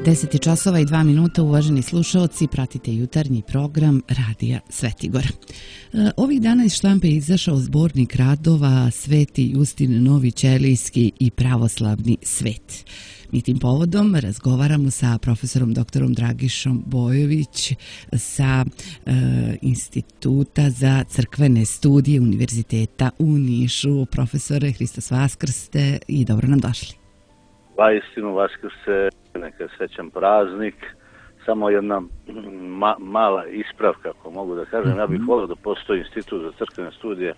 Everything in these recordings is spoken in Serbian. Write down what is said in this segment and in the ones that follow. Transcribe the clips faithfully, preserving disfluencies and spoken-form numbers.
deset časova i dva minuta, uvaženi slušaoci, pratite jutarnji program Radija Svetigora. Ovih dana iz štampe je izašao zbornik radova Sveti Justin Novi Ćelijski i pravoslavni svet. Mi tim povodom razgovaramo sa profesorom doktorom Dragišom Bojović sa e, Instituta za crkvene studije Univerziteta u Nišu. Profesore, Hristos Vaskrste i dobro nam došli. Vaistinu Vaskrse, neka srećan praznik. Samo jedna ma, mala ispravka, ako mogu da kažem. Mm-hmm. Ja bih volio da postoji Institut za crkvene studije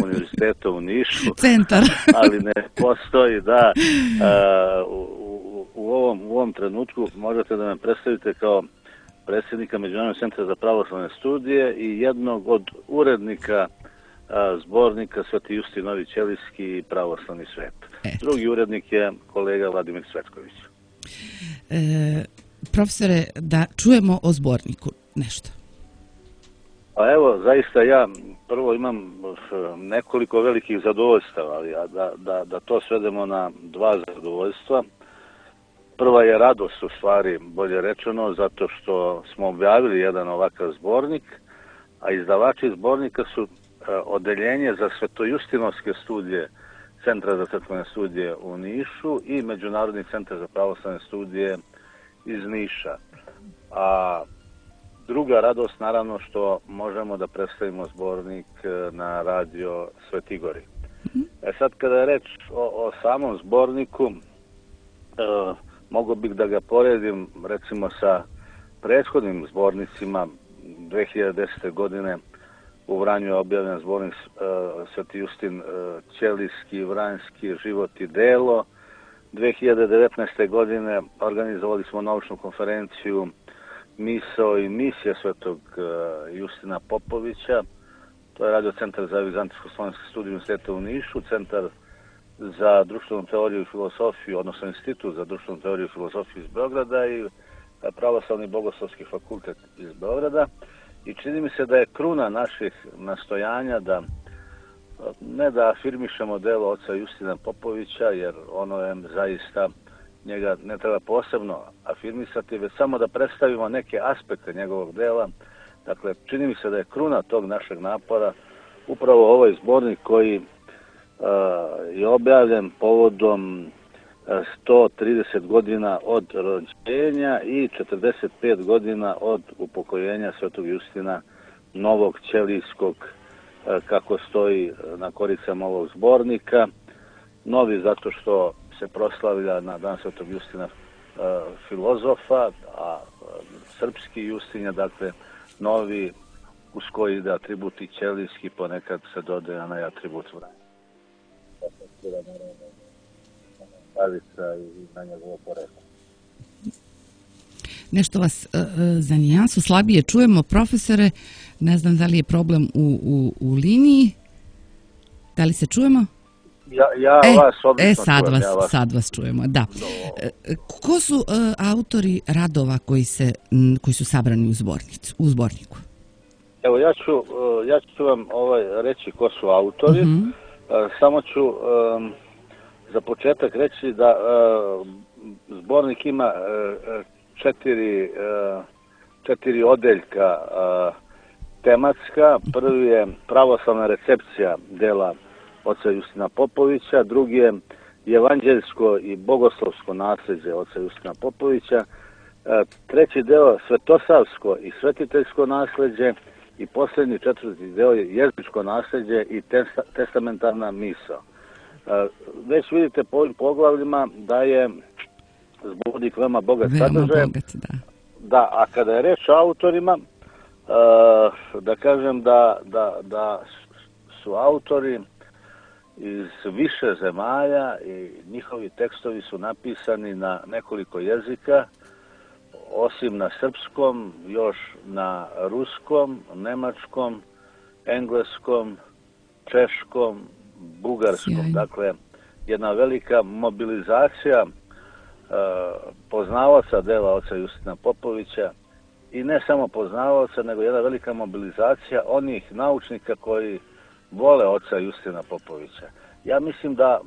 Univerziteta u Nišu. Centar. Ali ne postoji, da. Uh, u, u, ovom, u ovom trenutku možete da me predstavite kao predsjednika Međunarodnog centra za pravoslavne studije i jednog od urednika uh, zbornika Sveti Justin Novi Ćelijski i pravoslavni svet. Et. Drugi urednik je kolega Vladimir Cvetković. E... Profesore, da čujemo o zborniku nešto. Pa evo, zaista ja prvo imam nekoliko velikih zadovoljstava, ali da, da, da to svedemo na dva zadovoljstva. Prva je radost, u stvari, bolje rečeno, zato što smo objavili jedan ovakav zbornik, a izdavači zbornika su odeljenje za svetojustinovske studije Centra za crkvene studije u Nišu i Međunarodni centar za pravoslavne studije iz Niša. A druga radost, naravno, što možemo da predstavimo zbornik na radio Svetigori. E sad, kada je reč o, o samom zborniku, e, mogo bih da ga poredim, recimo, sa prethodnim zbornicima. dve hiljade desete. godine u Vranju je objavljen zbornik e, Sveti Justin e, Ćelijski, Vranjski, Život i delo. dve hiljade devetnaeste. godine organizovali smo naučnu konferenciju Misao i misija Svetog Justina Popovića. To je radio Centar za vizantijsko-slovenske studije Univerziteta u Nišu, Centar za društvenu teoriju i filozofiju, odnosno Institut za društvenu teoriju i filozofiju iz Beograda i Pravoslavni bogoslovski fakultet iz Beograda. I čini mi se da je kruna naših nastojanja da ne da afirmišemo delo oca Justina Popovića, jer ono je zaista, njega ne treba posebno afirmisati, već samo da predstavimo neke aspekte njegovog dela. Dakle, čini mi se da je kruna tog našeg napora upravo ovaj zbornik koji uh, je objavljen povodom sto trideset godina od rođenja i četrdeset pet godina od upokojenja Svetog Justina Novog Ćelijskog, kako stoji na koricama ovog zbornika. Novi zato što se proslavlja na dan Svetog Justina filozofa, a srpski Justin je, dakle, novi uz koji ide atribut i ćelijski, ponekad se dodaje onaj atribut Vranja. I na njegovo poreklo. Nešto vas uh, za nijansu slabije čujemo, profesore. Ne znam da li je problem u, u, u liniji. Da li se čujemo? Ja, ja e, vas odlično e, sad čujem. Vas, ja vas... sad vas čujemo, da. No. E, ko su uh, autori radova koji, se, m, koji su sabrani u, zbornicu, u zborniku? Evo, ja ću, uh, ja ću vam ovaj, reći ko su autori. Uh-huh. Uh, samo ću... Um, za početak reći da uh, zbornik ima uh, četiri, uh, četiri odeljka uh, tematska. Prvi je pravoslavna recepcija dela oca Justina Popovića, drugi je evanđeljsko i bogoslovsko nasljeđe oca Justina Popovića, uh, treći deo svetosavsko i svetiteljsko nasljeđe i posljednji četvrti deo je jezičko nasljeđe i testa, testamentarna misao. Već vidite po ovim poglavljima da je zbornik veoma bogat sadržajem. Da. Da, a kada je reč o autorima, da kažem da, da, da su autori iz više zemalja i njihovi tekstovi su napisani na nekoliko jezika, osim na srpskom, još na ruskom, nemačkom, engleskom, češkom, bugarskom. Sjajno. Dakle, jedna velika mobilizacija uh, poznavaoca dela oca Justina Popovića i ne samo poznavaoca, nego jedna velika mobilizacija onih naučnika koji vole oca Justina Popovića. Ja mislim da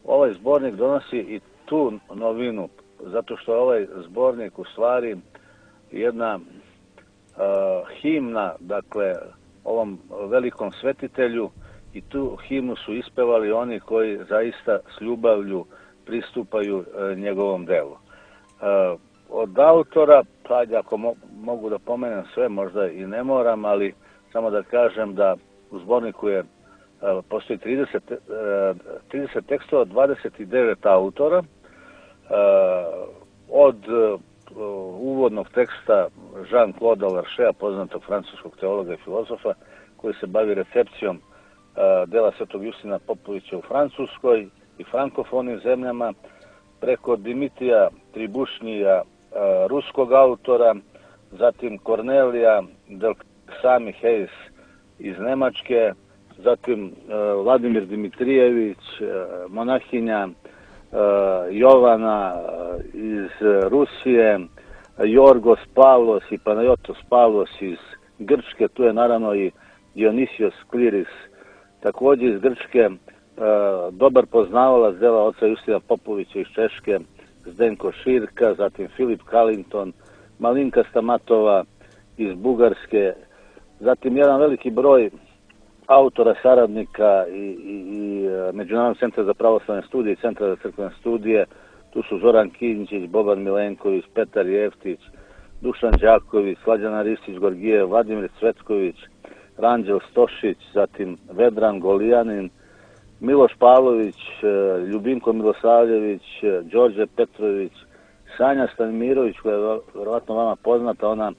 ovaj zbornik donosi i tu novinu zato što ovaj zbornik u stvari jedna uh, himna, dakle, ovom velikom svetitelju, i tu himnu su ispevali oni koji zaista s ljubavlju pristupaju uh, njegovom delu. Uh, od autora, pa ako mo mogu da pomenem sve, možda i ne moram, ali samo da kažem da u zborniku je uh, postoji trideset, uh, trideset tekstova, dvadeset devet autora, uh, od uh, uvodnog teksta Jean-Claude Larchea, poznatog francuskog teologa i filozofa, koji se bavi recepcijom uh, dela Svetog Justina Popovića u Francuskoj i frankofonim zemljama, preko Dimitrija Tribušnija, uh, ruskog autora, zatim Kornelija del Sami Hayes iz Nemačke, zatim uh, Vladimir Dimitrijević, uh, monahinja uh, Jovana uh, iz Rusije, Jorgos Pavlos i Panayotos Pavlos iz Grčke, tu je naravno i Dionisios Kliris, također iz Grčke, uh, dobar poznavalac dela oca Justina Popovića iz Češke, Zdenko Širka, zatim Filip Kalington, Malinka Stamatova iz Bugarske, zatim jedan veliki broj autora, saradnika i, i, i Međunarodnog centra za pravoslavne studije i Centra za crkvene studije. Tu su Zoran Kinčić, Boban Milenković, Petar Jeftić, Dušan Đaković, Slađana Ristić-Gorgijev, Vladimir Cvetković, Ranđel Stošić, zatim Vedran Golijanin, Miloš Pavlović, Ljubinko Milosavljević, Đorđe Petrović, Sanja Stanimirović, koja je vjerovatno vama poznata, ona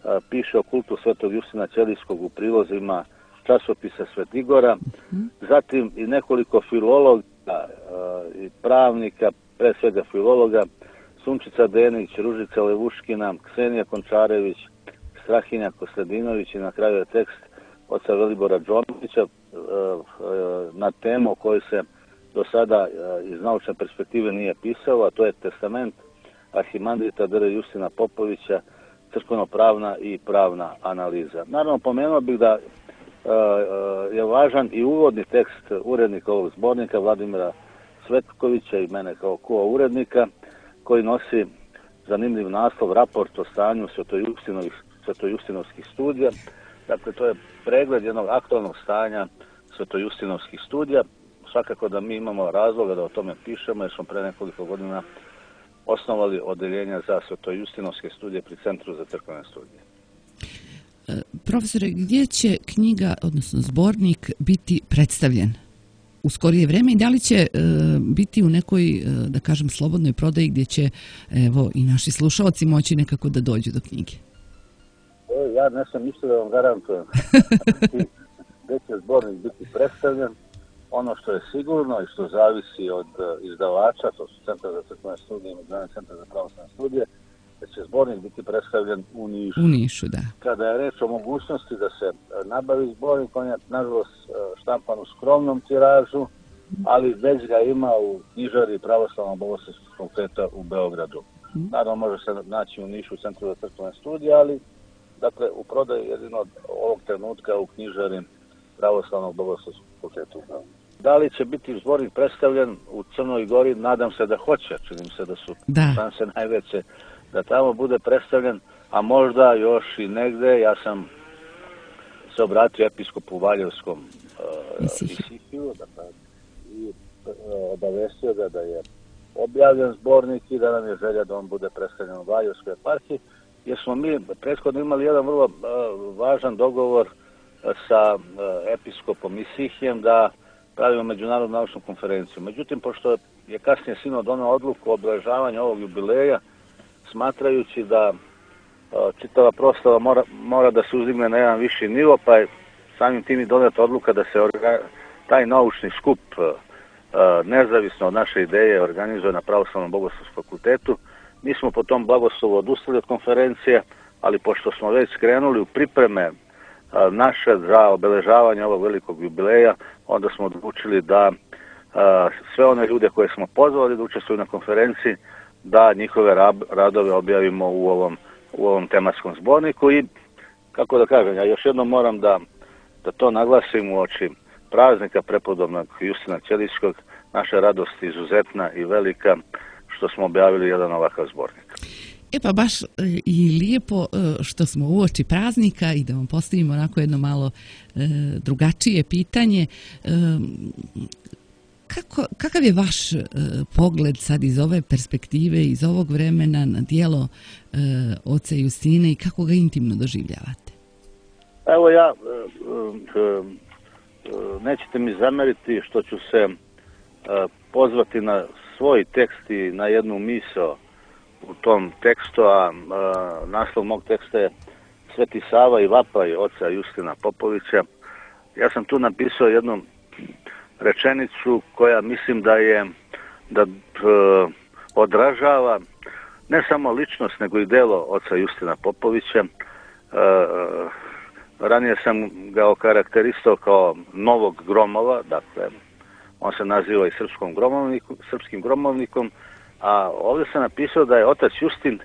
a, piše o kultu Svetog Justina Ćelijskog u prilozima časopisa Svetigora, mm-hmm. zatim i nekoliko filologa a, i pravnika, pre svega filologa, Sunčica Denić, Ružica Levuškina, Ksenija Končarević, Strahinja Kostadinović i na kraju je tekst oca Velibora Džomića na temu o kojoj se do sada iz naučne perspektive nije pisalo, a to je testament arhimandrita dr. Justina Popovića, crkveno-pravna i pravna analiza. Naravno, pomenuo bih da je važan i uvodni tekst urednika ovog zbornika, Vladimira Cvetkovića i mene kao ko-urednika, koji nosi zanimljiv naslov Raport o stanju svetojustinovskih studija. Dakle, to je pregled jednog aktualnog stanja svetojustinovskih studija. Svakako da mi imamo razloga da o tome pišemo, jer smo pre nekoliko godina osnovali odeljenja za svetojustinovske studije pri Centru za crkvene studije. E, profesore, gdje će knjiga, odnosno zbornik, biti predstavljen u skorije vreme i da li će e, biti u nekoj, e, da kažem, slobodnoj prodaji gdje će, evo, i naši slušalci moći nekako da dođu do knjige? E, ja ne sam mislio da vam garantujem gdje će zbornik biti predstavljen. Ono što je sigurno i što zavisi od izdavača, to su Centar za crkvene studije i Međunarodni centar za pravoslavne studije, da će zbornik biti predstavljen u Nišu. U Nišu, da. Kada je reč o mogućnosti da se nabavi zbornik, on je nažalost štampan u skromnom tiražu, ali već ga ima u knjižari Pravoslavnog bogoslovskog fakulteta u Beogradu. Mm. Naravno, može se naći u Nišu u Centru za crkvene studije, ali dakle, u prodaju jedino od ovog trenutka u knjižari Pravoslavnog bogoslovskog fakulteta u Beogradu. Da li će biti zbornik predstavljen u Crnoj Gori? Nadam se da hoće. Činim se da su šanse najveće da tamo bude predstavljen, a možda još i negde. Ja sam se obratio episkopu Valjevskom uh, Isihiju, dakle, i uh, obavestio ga da je objavljen zbornik i da nam je želja da on bude predstavljen u Valjevskoj eparhiji, jer smo mi prethodno imali jedan vrlo uh, važan dogovor uh, sa uh, episkopom Isihijem da pravimo međunarodnu naučnu konferenciju. Međutim, pošto je kasnije sinod doneo odluku o obeležavanju ovog jubileja, smatrajući da uh, čitava proslava mora, mora da se uzdigne na jedan viši nivo, pa je samim tim i doneta odluka da se orga, taj naučni skup uh, nezavisno od naše ideje organizuje na Pravoslavnom bogoslovskom fakultetu. Mi smo po tom blagoslovu odustali od konferencije, ali pošto smo već skrenuli u pripreme naše za obeležavanje ovog velikog jubileja, onda smo odlučili da a, sve one ljude koje smo pozvali da učestvuju na konferenciji, da njihove rab, radove objavimo u ovom, u ovom tematskom zborniku i, kako da kažem, ja još jednom moram da, da to naglasim u oči praznika prepodobnog Justina Ćelijskog, naša radost izuzetna i velika što smo objavili jedan ovakav zbornik. E pa baš i lijepo što smo uoči praznika i da vam postavimo onako jedno malo drugačije pitanje. Kako, kakav je vaš pogled sad iz ove perspektive, iz ovog vremena na djelo oca Justine i kako ga intimno doživljavate? Evo ja, nećete mi zameriti što ću se pozvati na svoj tekst i na jednu misao u tom tekstu, a naslov mog teksta je Sveti Sava i vapaj oca Justina Popovića. Ja sam tu napisao jednu rečenicu koja mislim da je da odražava ne samo ličnost nego i delo oca Justina Popovića. Ranije sam ga okarakterisao kao novog gromova, dakle on se naziva i srpskom gromovniku, srpskim gromovnikom, a ovdje sam napisao da je otac Justin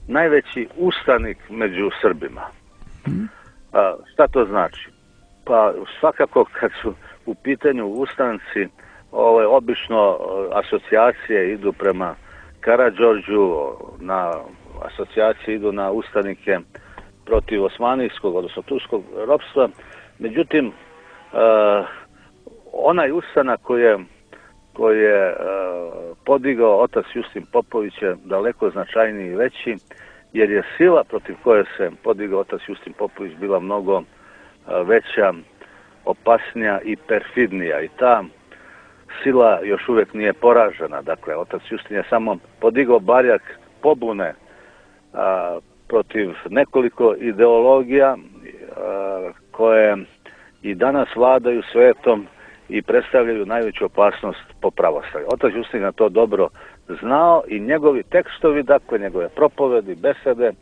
najveći ustanik među Srbima. A, šta to znači? Pa svakako kad su u pitanju ustanci, ovaj, obično asocijacije idu prema Karađorđu, na asocijacije idu na ustanike protiv osmanijskog, odnosno turskog ropstva. Međutim, uh, onaj ustanak koji je, koji je uh, podigao otac Justin Popović je daleko značajniji i veći, jer je sila protiv koje se podigao otac Justin Popović bila mnogo uh, veća, opasnija i perfidnija. I ta sila još uvijek nije poražena. Dakle, otac Justin je samo podigao barjak pobune a, protiv nekoliko ideologija a, koje i danas vladaju svetom i predstavljaju najveću opasnost po pravoslavlju. Otac Justin je to dobro znao i njegovi tekstovi, dakle njegove propovedi, besede,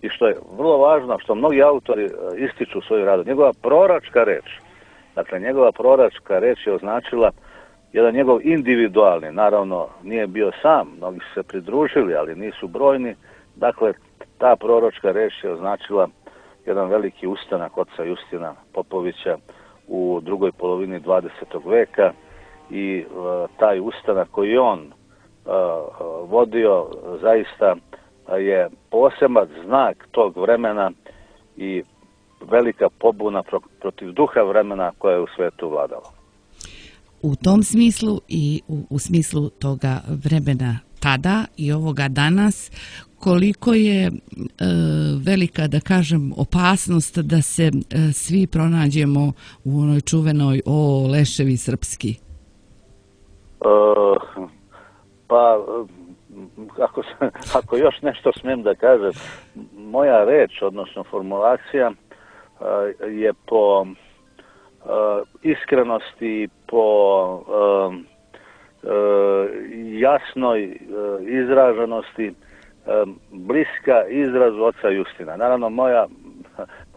i što je vrlo važno, što mnogi autori ističu u svoju radu, njegova proročka reč, dakle njegova proročka reč je označila jedan njegov individualni, naravno nije bio sam, mnogi su se pridružili, ali nisu brojni, dakle ta proročka reč je označila jedan veliki ustanak oca Justina Popovića u drugoj polovini dvadesetog veka i uh, taj ustanak koji on uh, vodio zaista je poseban znak tog vremena i velika pobuna protiv duha vremena koja je u svetu vladala. U tom smislu i u, u smislu toga vremena tada i ovoga danas, koliko je e, velika, da kažem, opasnost da se e, svi pronađemo u onoj čuvenoj o leševi srpski? E, pa, ako, ako još nešto smijem da kažem, moja reč, odnosno formulacija, je po uh, iskrenosti, po uh, uh, jasnoj uh, izraženosti uh, bliska izrazu oca Justina. Naravno, moja,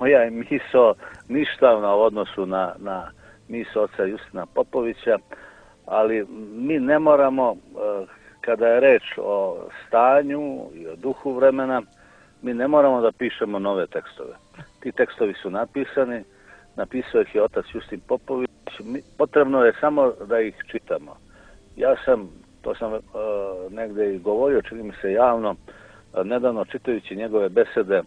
moja je misao ništavna u odnosu na, na misao oca Justina Popovića, ali mi ne moramo, uh, kada je reč o stanju i o duhu vremena, mi ne moramo da pišemo nove tekstove. Ti tekstovi su napisani, napisao ih je otac Justin Popović, potrebno je samo da ih čitamo. Ja sam, to sam uh, negde i govorio, čini mi se javno, uh, nedavno čitajući njegove besede uh,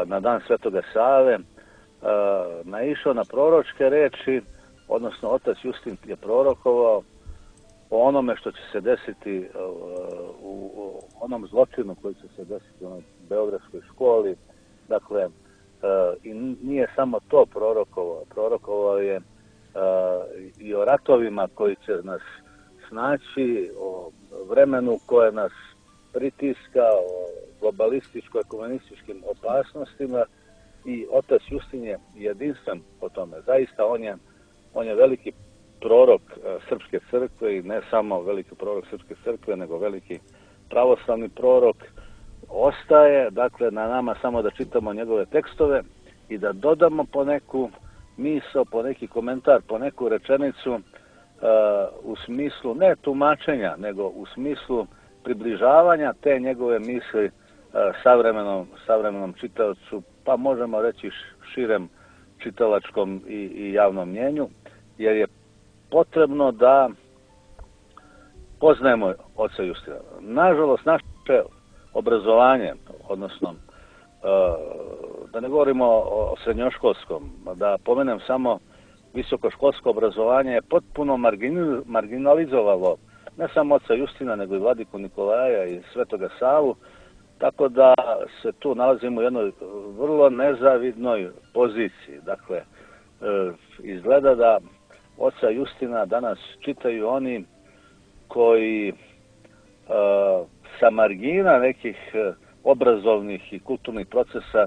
na dan Svetoga Save, uh, naišao na proročke reči, odnosno otac Justin je prorokovao o onome što će se desiti uh, u, u onom zločinu koji će se desiti u onoj beogradskoj školi. Dakle, uh, i nije samo to prorokovao, prorokovao je uh, i o ratovima koji će nas snaći, o vremenu koje nas pritiska, o globalističko-ekumenističkim opasnostima, i otac Justin je jedinstven po tome. Zaista on je, on je veliki prorok Srpske crkve i ne samo veliki prorok Srpske crkve, nego veliki pravoslavni prorok. Ostaje, dakle, na nama samo da čitamo njegove tekstove i da dodamo po neku misao, po neki komentar, po neku rečenicu uh, u smislu ne tumačenja, nego u smislu približavanja te njegove misli uh, savremenom, savremenom čitaocu, pa možemo reći širem čitalačkom i, i javnom mnjenju, jer je potrebno da poznajemo oca Justina. Nažalost, naše obrazovanje, odnosno da ne govorimo o srednjoškolskom, da pomenem samo visokoškolsko obrazovanje, je potpuno marginalizovalo ne samo oca Justina, nego i vladiku Nikolaja i Svetoga Savu, tako da se tu nalazimo u jednoj vrlo nezavidnoj poziciji. Dakle, izgleda da oca Justina danas čitaju oni koji sa margina nekih obrazovnih i kulturnih procesa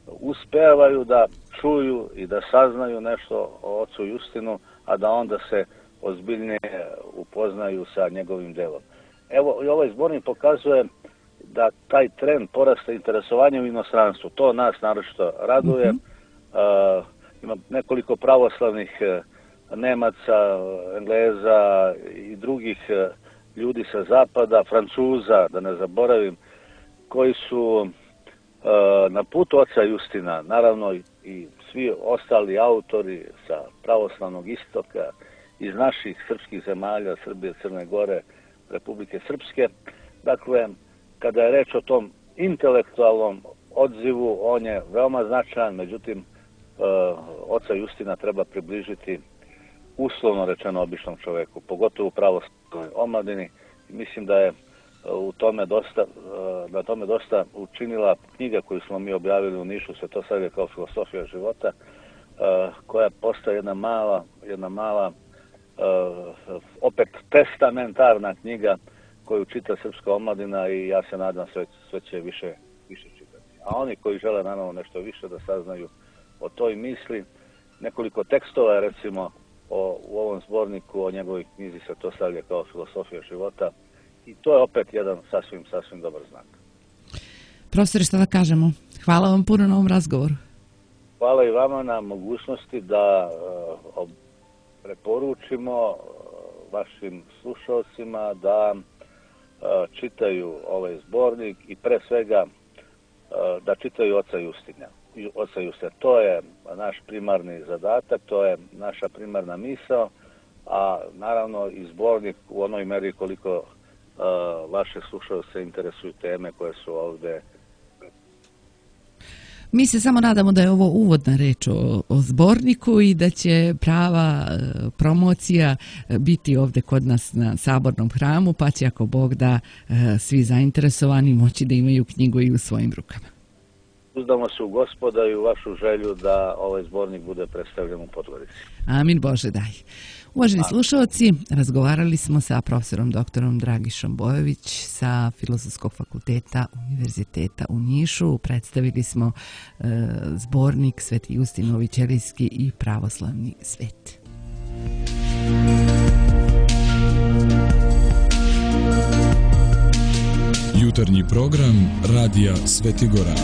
uspevaju da čuju i da saznaju nešto o ocu Justinu, a da onda se ozbiljnije upoznaju sa njegovim delom. Evo, i ovaj zbornik pokazuje da taj trend porasta interesovanja u inostranstvu, to nas naročito raduje. Mm-hmm. uh, ima nekoliko pravoslavnih uh, Nemaca, Engleza i drugih uh, ljudi sa zapada, Francuza, da ne zaboravim, koji su uh, na putu oca Justina, naravno i svi ostali autori sa pravoslavnog istoka, iz naših srpskih zemalja, Srbije, Crne Gore, Republike Srpske. Dakle, kada je reč o tom intelektualnom odzivu, on je veoma značajan, međutim, uh, oca Justina treba približiti uslovno rečeno običnom čoveku, pogotovo u pravoslavnoj omladini. Mislim da je u tome dosta, na tome dosta učinila knjiga koju smo mi objavili u Nišu, Svetosavlje kao filosofija života, koja postaje jedna mala, jedna mala opet testamentarna knjiga koju čita srpska omladina i ja se nadam sve, sve će više, više čitati. A oni koji žele naravno nešto više da saznaju o toj misli, nekoliko tekstova je recimo o, u ovom zborniku o njegovoj knjizi Svetosavlje kao filosofija života. I to je opet jedan sasvim, sasvim dobar znak. Profesore, šta da kažemo? Hvala vam puno na ovom razgovoru. Hvala i vama na mogućnosti da uh, preporučimo uh, vašim slušalcima da uh, čitaju ovaj zbornik i pre svega uh, da čitaju oca Justina. Oca Justina. To je naš primarni zadatak, to je naša primarna misao, a naravno i zbornik u onoj meri koliko Uh, vaše slušalce interesuju teme koje su ovde. Mi se samo nadamo da je ovo uvodna reč o, o zborniku i da će prava uh, promocija biti ovde kod nas na Sabornom hramu, pa će ako Bog da uh, svi zainteresovani moći da imaju knjigu i u svojim rukama. Uzdamo se u Gospoda i u vašu želju da ovaj zbornik bude predstavljen u Podgorici. Amin Bože daj. Uvaženi slušalci, razgovarali smo sa profesorom doktorom Dragišom Bojović sa Filozofskog fakulteta Univerziteta u Nišu. Predstavili smo e, zbornik Sveti Justin Novićelijski i pravoslavni svet. Jutarnji program Radija Svetigora.